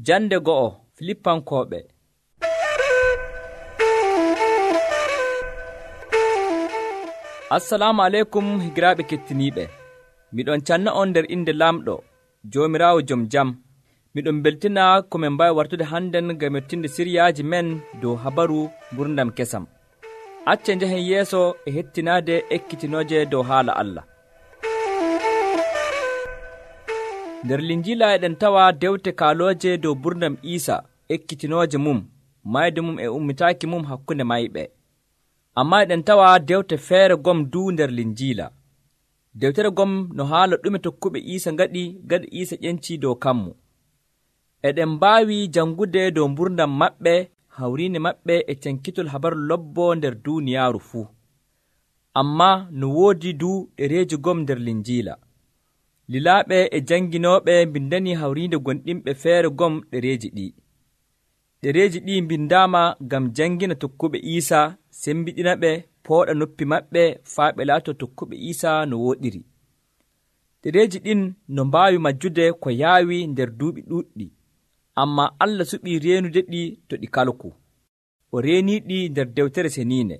Jande go'o Filippankooɓe. Assalamu aleykum higiraaɓe kettiniiɓe. Miɗon canna on nder inde Lamɗo, Joomiraawo jom jam. Miɗon beltina ko min mbawi wartude hannden ngam mettinde siryaaji men dow habaru gurdam kesam. Acce njahen yeeso e hettinaade ekkitinooje dow haala Allah. Nder Linjiila eɗen tawa dewte kaalooje dow gurdam Iisa ekkitinooje mum, mayde mum e ummitaaki mum hakkunde mayɓe. Ammaa eɗen tawa dewte feere gom duu nder Linjiila. Dewtere gom no haala ɗume tokkuɓe Iisa ngaɗi gada Iisa ƴencii dow kammu. Eɗen mbaawi jangude dow gurdam maɓɓe, hawriinde maɓɓe e cankitol habaru lobbo nder duuniyaaru fuu. Ammaa no woodi duu ɗereeji gom nder Linjiila. Lilaaɓe e janginooɓe mbindanii hawriinde gonɗinɓe feere gom ɗereeji ɗi. Ɗereeji ɗi mbindaama ngam jangina tokkuɓe Iisa, sembiɗina ɓe, pooɗa noppi maɓɓe faa ɓe laatoo tokkuɓe Iisa no wooɗiri. Ɗereeji ɗin no mbaawi majjude ko yaawi nder duuɓi ɗuuɗɗi, ammaa Allah suɓii reenude ɗi to ɗi kalku. O reeniiɗi nder Dewtere Seniine.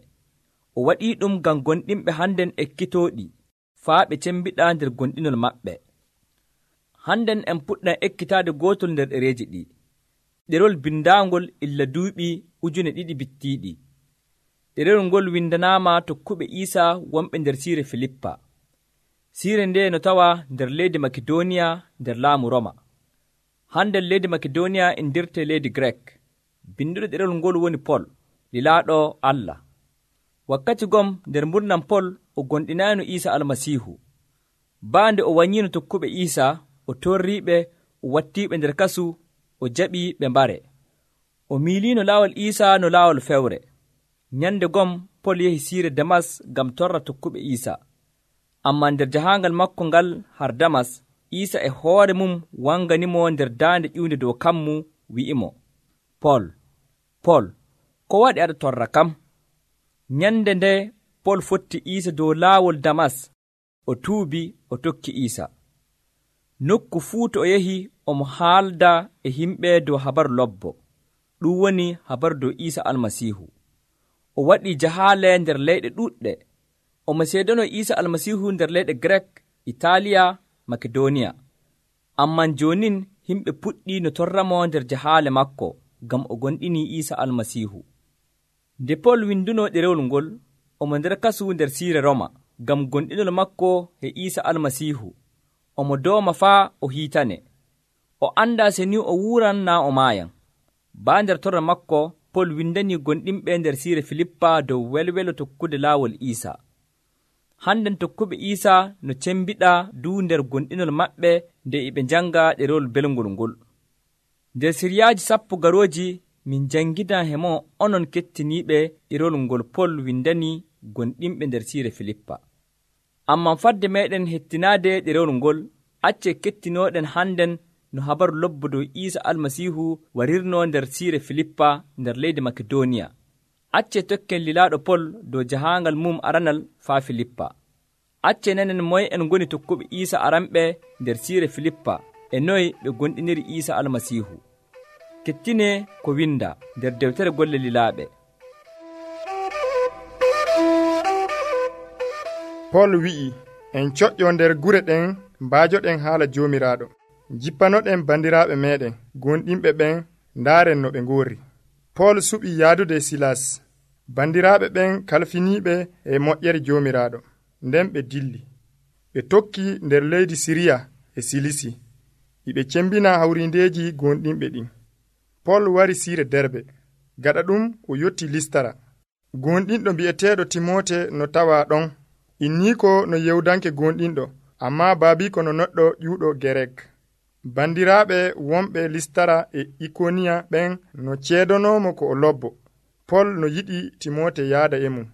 O waɗii ɗum ngam gonɗinɓe hannden ekkitooɗi, faa ɓe cembiɗa nder gonɗinol maɓɓe. Hannden en puɗɗan ekkitaade gootol nder ɗereeji ɗi. Ɗerewol bindaangol illa duuɓi 2,000 bittiiɗi. Ɗerewol ngol windanaama tokkuɓe Iisa wonɓe nder siire Filippa. Siire nde no tawa nder leydi Makidooniya nder laamu Roma. Hannden leydi Makidooniya indirte leydi Grek. Binduɗo ɗerewol ngol woni Pol, lilaaɗo Allah. Wakkati gom nder gurdam Pol o gonɗinaayno Iisa Almasiihu. Baande o wanyiino tokkuɓe Iisa, o torriiɓe, o wattiiɓe nder kasu, o jaɓii ɓe mbare. O miiliino laawol Iisa no laawol fewre. Nyande gom Pol yehi siire Damas ngam torra tokkuɓe Iisa. Ammaa nder jahaangal makko ngal har Damas, Iisa e hoore mum wanganimo nder daande ƴiwnde dow kammu, wi'imo, Pol, Pol, ko waɗi aɗa torra kam? Nyande nde Pol fotti Iisa dow laawol Damas, o tuubi, o tokki Iisa. Nokku fuu to o yehi omo haalda e himɓe dow habaru lobbo, ɗum woni habaru dow Iisa Almasiihu. O waɗii jahaale nder leyɗe ɗuuɗɗe. Omo seedano Iisa Almasiihu nder leyɗe Grek, Itaaliya, Makedooniya. Amman joonin himɓe puɗɗii no torramo nder jahaale makko, ngam o gonɗinii Iisa Almasiihu. Nde Pol winduno ɗerewol ngol, omo nder kasu nder siire Roma, ngam gonɗinol makko e Iisa Almasiihu. Omo dooma faa o hiitane. O anndaa se ni o wuuran naa o maayan. Baa nder torra makko, Pol windanii gonɗinɓe nder siire Filippa dow welwelo tokkude laawol Iisa. Hannden tokkuɓe Iisa no cembiɗa duu nder gonɗinol maɓɓe nde ɓe njanga ɗerewol belngol ngol. Nder siryaaji 10 garooji min jangidan hemo onon kettiniiɓe ɗerewol ngol Pol windanii gonɗinɓe nder siire Filippa. Amman fadde meeɗen hettinaade ɗerewol ngol, acce kettinooɗen hannden no habaru lobbo dow Iisa Almasiihu warirno nder siire Filippa nder leydi Makedooniya. Acce tokken lilaaɗo Pol dow jahaangal mum aranal faa Filippa. Acce nanen moye en ngoni tokkuɓe Iisa aranɓe nder siire Filippa e noye ɓe gonɗiniri Iisa Almasiihu. Kettine ko winda nder dewtere golle lilaaɓe. Pol wi'i, en coƴƴo nder gure ɗen mbaajoɗen haala Joomiraaɗo. Jippanoɗen bandiraaɓe meeɗen, gonɗinɓe ɓen, ndaaren no ɓe ngoori. Pol suɓi yaadude Silas. Bandiraaɓe ɓen kalfiniiɓe e moƴƴere Joomiraaɗo. Nden ɓe dilli. Ɓe tokki nder leydi Siriya e Silisi. Iɓe cembina hawrindeeji gonɗinɓe ɗin. Pol wari siire Derbe. Gaɗa ɗum o yotti Listara. Gonɗinɗo bi'eteeɗo Timoote no tawa ɗon. Inniiko no yewdanke gonɗinɗo, ammaa baabiiko no neɗɗo ƴuuɗo Gerek. Bandiraaɓe wonɓe Listara e Ikoniya ɓen no ceedanoomo ko o lobbo. Pol no yiɗi Timoote yaada e mum.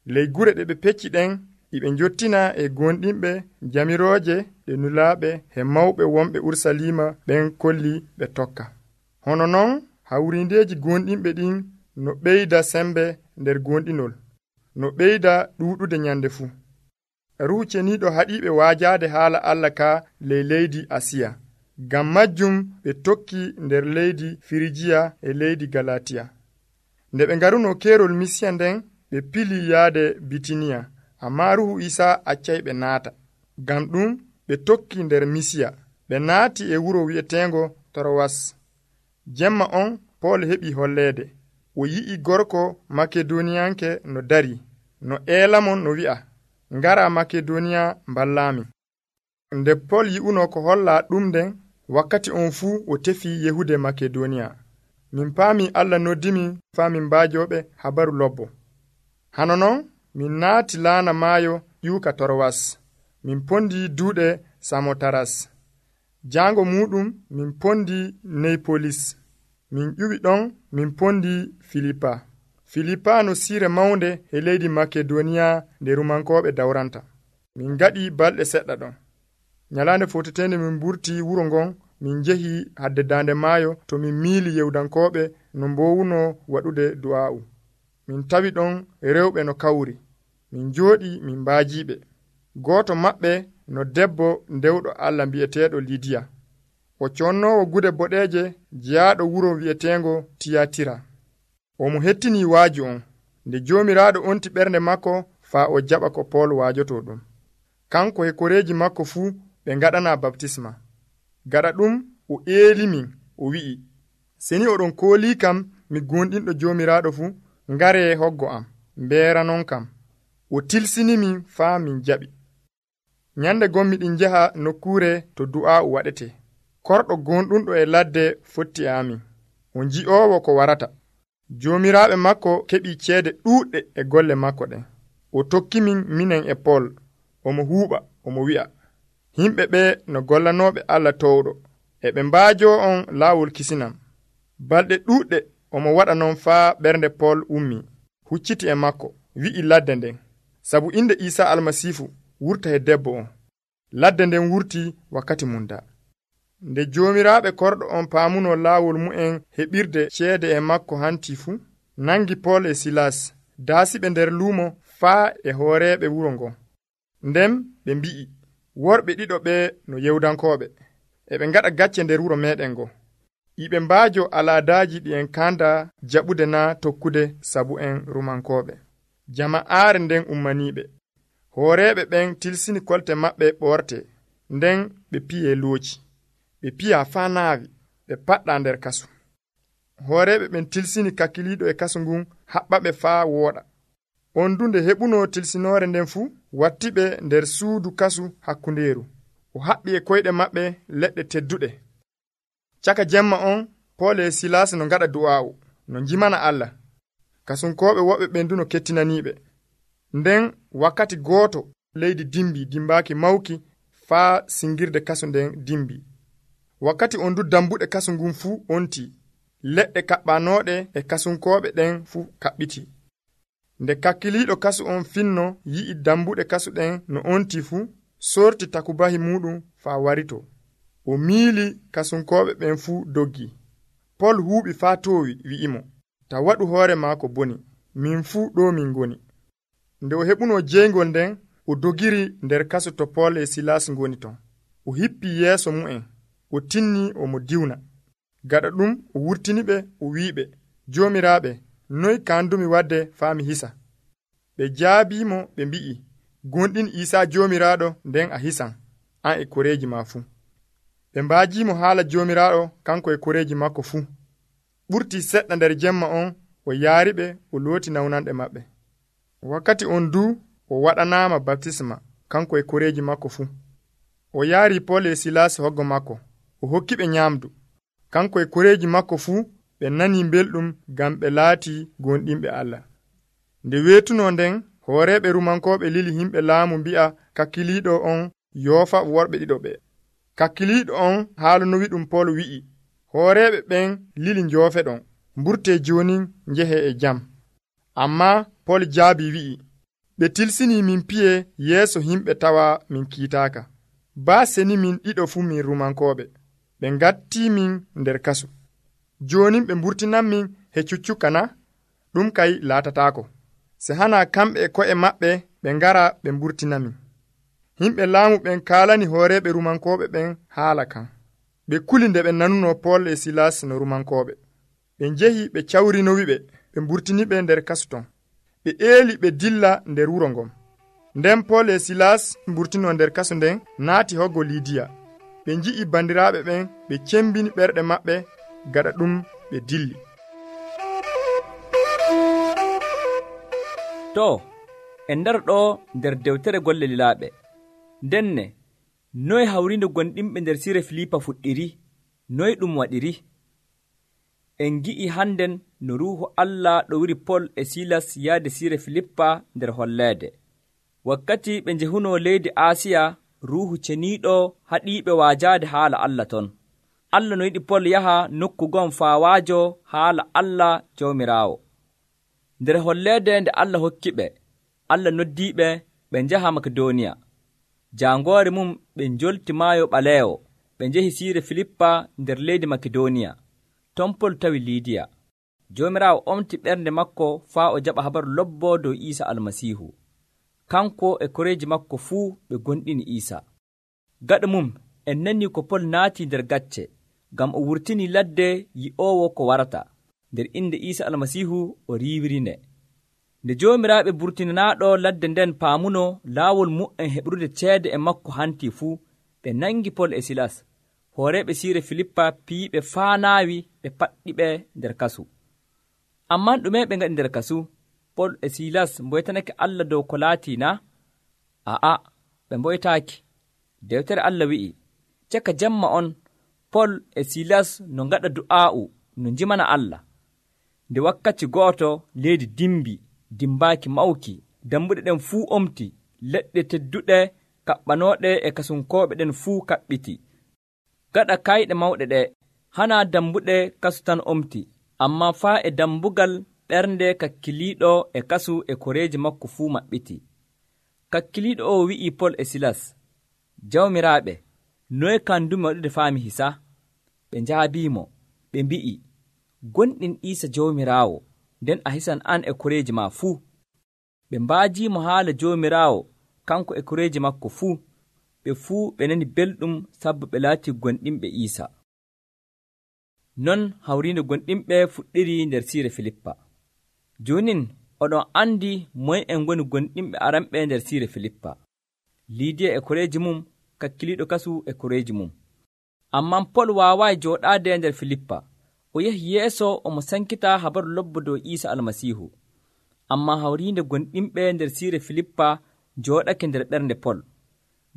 Ley gure ɗe ɓe pecci ɗen, iɓe njottina e gonɗinɓe jamirooje ɗe nulaaɓe e mawɓe wonɓe Urusalima ɓen kolli ɓe tokka. Hono non hawrindeeji gonɗinɓe ɗin no ɓeyda sembe nder gonɗinol, no ɓeyda ɗuuɗude nyande fuu. Ruhu Ceniiɗo haɗiiɓe waajaade haala Allah ka ley leydi Asiya. ngam majjum ɓe tokki nder leydi firijiya e leydi galatiya. Nde ɓe ngaruno keerol misiya nden ɓe pili yaade bitiniya, amma ruhu isa accay ɓe naata. Ngam ɗum ɓe tokki nder misiya, ɓe naati e wuro wi'eteengo Torowas. Jemma on Pool heɓi holleede. O yi'i gorko makedoniyanke no dari, no eelamon no wi'a, ngara Makedoniya mballami. Nde Pool yi'uno ko holla ɗum nden, wakkati on fuu o tefi yehude Makedoniya. Min paami Allah noddimi faa min mbaajoɓe habaru lobbo. Hano non min naati laana maayo ƴiwka Torowas. Min pondi duuɗe Samotaras. Jaango muɗum min pondi Neypolis. Min ƴuwi ɗon min pondi Filipa. Filipa no siire mawnde e leydi Makedoniya nde rumankoɓe dawranta. Min gaɗi balɗe seɗɗa ɗon. Nyalaande fotetende min burti wuro ngon, min njehi hadde daande maayo to min miili yewdankoɓe no mbowuno waɗude du'a'u. Min tawi ɗon rewɓe no kawri. Min jooɗi min mbaajiɓe. Gooto maɓɓe no debbo ndewɗo Allah mbi'eteeɗo Lidiya. O connoowo gude boɗeeje jeyaaɗo wuro wi'eteengo Tiyatira. Omo hettini waaju on. Nde Joomiraaɗo onti ɓernde makko faa o jaɓa ko Pool waajoto ɗum. Kanko e koreeji makko fuu ɓe ngaɗana baptisma. Gaɗa ɗum o eelimin, o wi'i, seni oɗon koolii kam mi gonɗinɗo Joomiraaɗo fuu, ngaree hoggo am, mbeeranon kam. O tilsinimin faa min jaɓi. Nyande gon miɗin njaha nokkuure to du'aa'u waɗetee. Korɗo gonɗunɗo e ladde fotti e amin. O nji'oowo ko warata. Joomiraaɓe makko keɓii ceede ɗuuɗɗe e golle makko ɗen. O tokkimin minen e Pool. Omo huuɓa, omo wi'a, himɓe ɓe no gollanooɓe Allah towɗo, e ɓe mbaajoo on laawol kisinam. Balɗe ɗuuɗɗe omo waɗa non faa ɓernde Pool ummii, hucciti e makko, wi'i ladde nden, sabu inde Iisaa Almasiifu wurta e debbo on. Ladde nden wurti wakkati mum daa. Nde Joomiraaɓe korɗo on paamuno laawol mu'en heɓirde ceede e makko hanti fuu, nangi Pool e Silas, daasiɓe nder luumo faa e hooreeɓe wuro ngon. Nden ɓe mbi'i, worɓe ɗiɗo ɓe no yewdankooɓe, e ɓe ngaɗa gacce nder wuro meeɗen ngo. Iɓe mbaajo alaadaaji ɗi en kanda jaɓude naa tokkude sabu en rumankooɓe. Jama'aare nden ummaniiɓe. Hooreeɓe ɓen tilsini kolte maɓɓe ɓoorte, nden ɓe piyee looci. Ɓe piyaa faa naawi, ɓe paɗɗaa nder kasu. Hooreeɓe ɓen tilsini kakkiliiɗo e kasu ngun, haɓɓaɓe faa wooɗa. On dunde heɓuno tilsinoore nden fuu, wattiɓe nder suudu kasu hakkundeeru. O haɓɓi e koyɗe maɓɓe leɗɗe tedduɗe. Caka jemma on, Pool e Silas no ngaɗa du'aa'u, no njimana Allah. Kasunkooɓe woɓɓe ɓen duno kettinaniiɓe. Nden wakkati gooto leydi dimbi dimbaaki mawki faa singirde kasu nden dimbi. Wakkati on du dambuɗe kasu ngun fuu onti. Leɗɗe kaɓɓanooɗe e kasunkooɓe ɗen fuu kaɓɓiti. Nde kakkiliiɗo kasu on finno yi'i dambuɗe kasu ɗen no onti fuu, sorti takubahi muɗum faa warito. O miili kasunkooɓe ɓen fuu doggi. Pool huuɓi faa toowi wi'imo, ta waɗu hoore maako boni, min fuu ɗo min ngoni. Nde o heɓuno jeyngol nden, o dogiri nder kasu to Pool e Silas ngoni ton. O hippii yeeso mu'en, o tinni omo diwna. Gaɗa ɗum o wurtiniɓe o wi'iɓe, Joomiraaɓe, noy kandumi wadde faa mi hisa? Ɓe jaabiimo ɓe mbi'i, gonɗin Iisaa Joomiraaɗo nden a hisan, an e koreeji ma fuu. Ɓe mbaajiimo haala Joomiraaɗo kanko e koreeji makko fuu. Ɓurtii seɗɗa nder jemma on, o yaariɓe o looti nawnanɗe maɓɓe. Wakkati on duu o waɗanaama baptisma kanko e koreeji makko fuu. O yaari Pool e Silas hoggo makko, o hokkiɓe nyaamdu. Kanko e koreeji makko fuu ɓe nanii belɗum ngam ɓe laatii gonɗinɓe Allah. Nde weetuno nden, hooreeɓe rumankooɓe lili himɓe laamu mbi'a kakkiliiɗo on yoofa worɓe ɗiɗo ɓe. Kakkiliiɗo on haalunowi ɗum Pool wi'i, hooreeɓe ɓen lili njoofe ɗon, mburtee jooni njehe e jam. Ammaa Pool jaabi wi'i, ɓe tilsinii min piye yeeso himɓe tawa min kiitaaka. Baa seni min ɗiɗo fuu min rumankooɓe. Ɓe ngattii min nder kasu. Jooni ɓe mburtinanmin he cuccukka na? Ɗum kay laatataako. Se hana kamɓe e ko'e maɓɓe ɓe ngara ɓe mburtinamin. Himɓe laamu ɓen kaalani hooreeɓe rumankooɓe ɓen haala kan. ɓe kuli nde ɓe nanuno Pol e Silas no Rumankooɓe. Ɓe njehi ɓe cawrinowiɓe, ɓe mburtiniɓe nder kasu ton. Ɓe eeli ɓe dilla nder wuro ngon. Nden Pol e Silas mburtino nder kasu nden naati hoggo Liidiya. Ɓe nji'i bandiraaɓe ɓen, ɓe cembini ɓerɗe maɓɓe, gaɗa ɗum ɓe dilli. To, en ndaro ɗo nder dewtere golle lilaaɓe. Ndenne, noye hawrinde gonɗinɓe nder Siire Filipa fuɗɗiri, noye ɗum waɗiri? En gi'i hannden no Ruuhu Allah ɗowiri Pol e Silas yahde Siire Filippa nder holleede. Wakkati ɓe njehunoo leydi Aasiya, Ruuhu ceniiɗo haɗiiɓe waajaade haala Allah ton. Allah no yiɗi Pol yaha nokku gon faa waajo haala Allah Jawmiraawo. Nder holleede nde Allah hokkiɓe, Allah noddiiɓe ɓe njaha Makedoniya. Jaangoore mum ɓe njolti Maayo Ɓaleewo, ɓe njehi Siire Filippa nder leydi Makedoniya. Ton Pol tawi Liidiya. Jawmiraawo omti ɓernde makko faa o jaɓa habaru lobbo dow Iisa Almasiihu. Kanko e koreeji makko fuu ɓe gonɗini Iisa. Gaɗa mum en nani ko Pol naati nder gacce, ngam o wurtini ladde yi'oowo ko warata. Nder inde Iisa Almasiihu o riiwirinde. Nde joomiraaɓe burtinanaaɗo ladde nden paamuno laawol mu'en heɓrude ceede e makko hantii fuu, ɓe nangi Pol e Silas. Hooreeɓe Siire Filippa piyiɓe faa naawi, ɓe paɗɗiɓe nder kasu. Amman ɗume ɓe ngaɗi nder kasu? Pol e Silas mboytanake Allah dow ko laatii na? Aa, ɓe mboytaaki. Dewtere Allah wi'i, caka jemma on, Pol e Silas no ngaɗa du'aa'u no njimana Allah. Nde wakkati gooto leydi dimbaaki mawki, dambuɗe ɗen fuu omti, leɗɗe tedduɗe kaɓɓanooɗe e kasunkooɓe ɗen fuu kaɓɓiti. Gaɗa kayɗe mawɗe ɗe, hana dambuɗe kasu tan omti, ammaa faa e dambugal ɓernde kakkiliiɗo e kasu e koreeji makko fuu maɓɓiti. Kakkiliiɗo o wi'i Pol e Silas, Jawmiraaɓe, noye kandumi waɗude faami hisa? Ɓe njaabiimo, ɓe mbi'i, gonɗin Iisa Jawmiraawo, nden a hisan an e koreeji ma fuu. Ɓe mbaajiimo haala Jawmiraawo, kanko e koreeji makko fuu. Ɓe fuu ɓe nani belɗum sabu ɓe laati gonɗinɓe Iisa. Non hawriinde gonɗinɓe fuɗɗiri nder Siire Filippa. Joonin oɗon andi moye en ngoni gonɗinɓe aranɓe nder Siire Filippa. Liidiya e koreeji mum, kakkiliiɗo kasu e koreeji mum. Amman Pol waawaayi jooɗaade nder Filippa. O yahi yeeso omo sankita habaru lobbo dow Iisa Almasiihu. Ammaa hawriinde gonɗinɓe nder Siire Filippa jooɗake nder ɓernde Pol.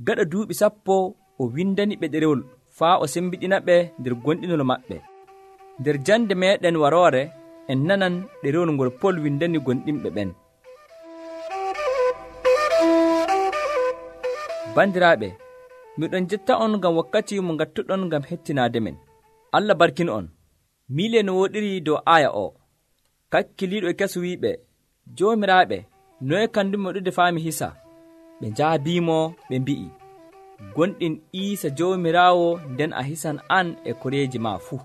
Gaɗa duuɓi 10 o windani ɓe ɗerewol faa o sembiɗina ɓe nder gonɗinol maɓɓe. Nder jande meeɗen waroore en nanan ɗerewol ngol Pol windani gonɗinɓe ɓen. Bandiraaɓe, miɗon jetta on ngam wakkati mo ngattuɗon ngam hettinaade men. Allah barkin on. Miile no woɗiri dow aya o. Kakkiliiɗo e kesu wiiɓe, Joomiraaɓe, noye kandumi waɗude faami hisa? Ɓe njaabiimo, ɓe mbi'i, gonɗin Iisa Jawmiraawo, nden a hisan an e koreeji ma fuu.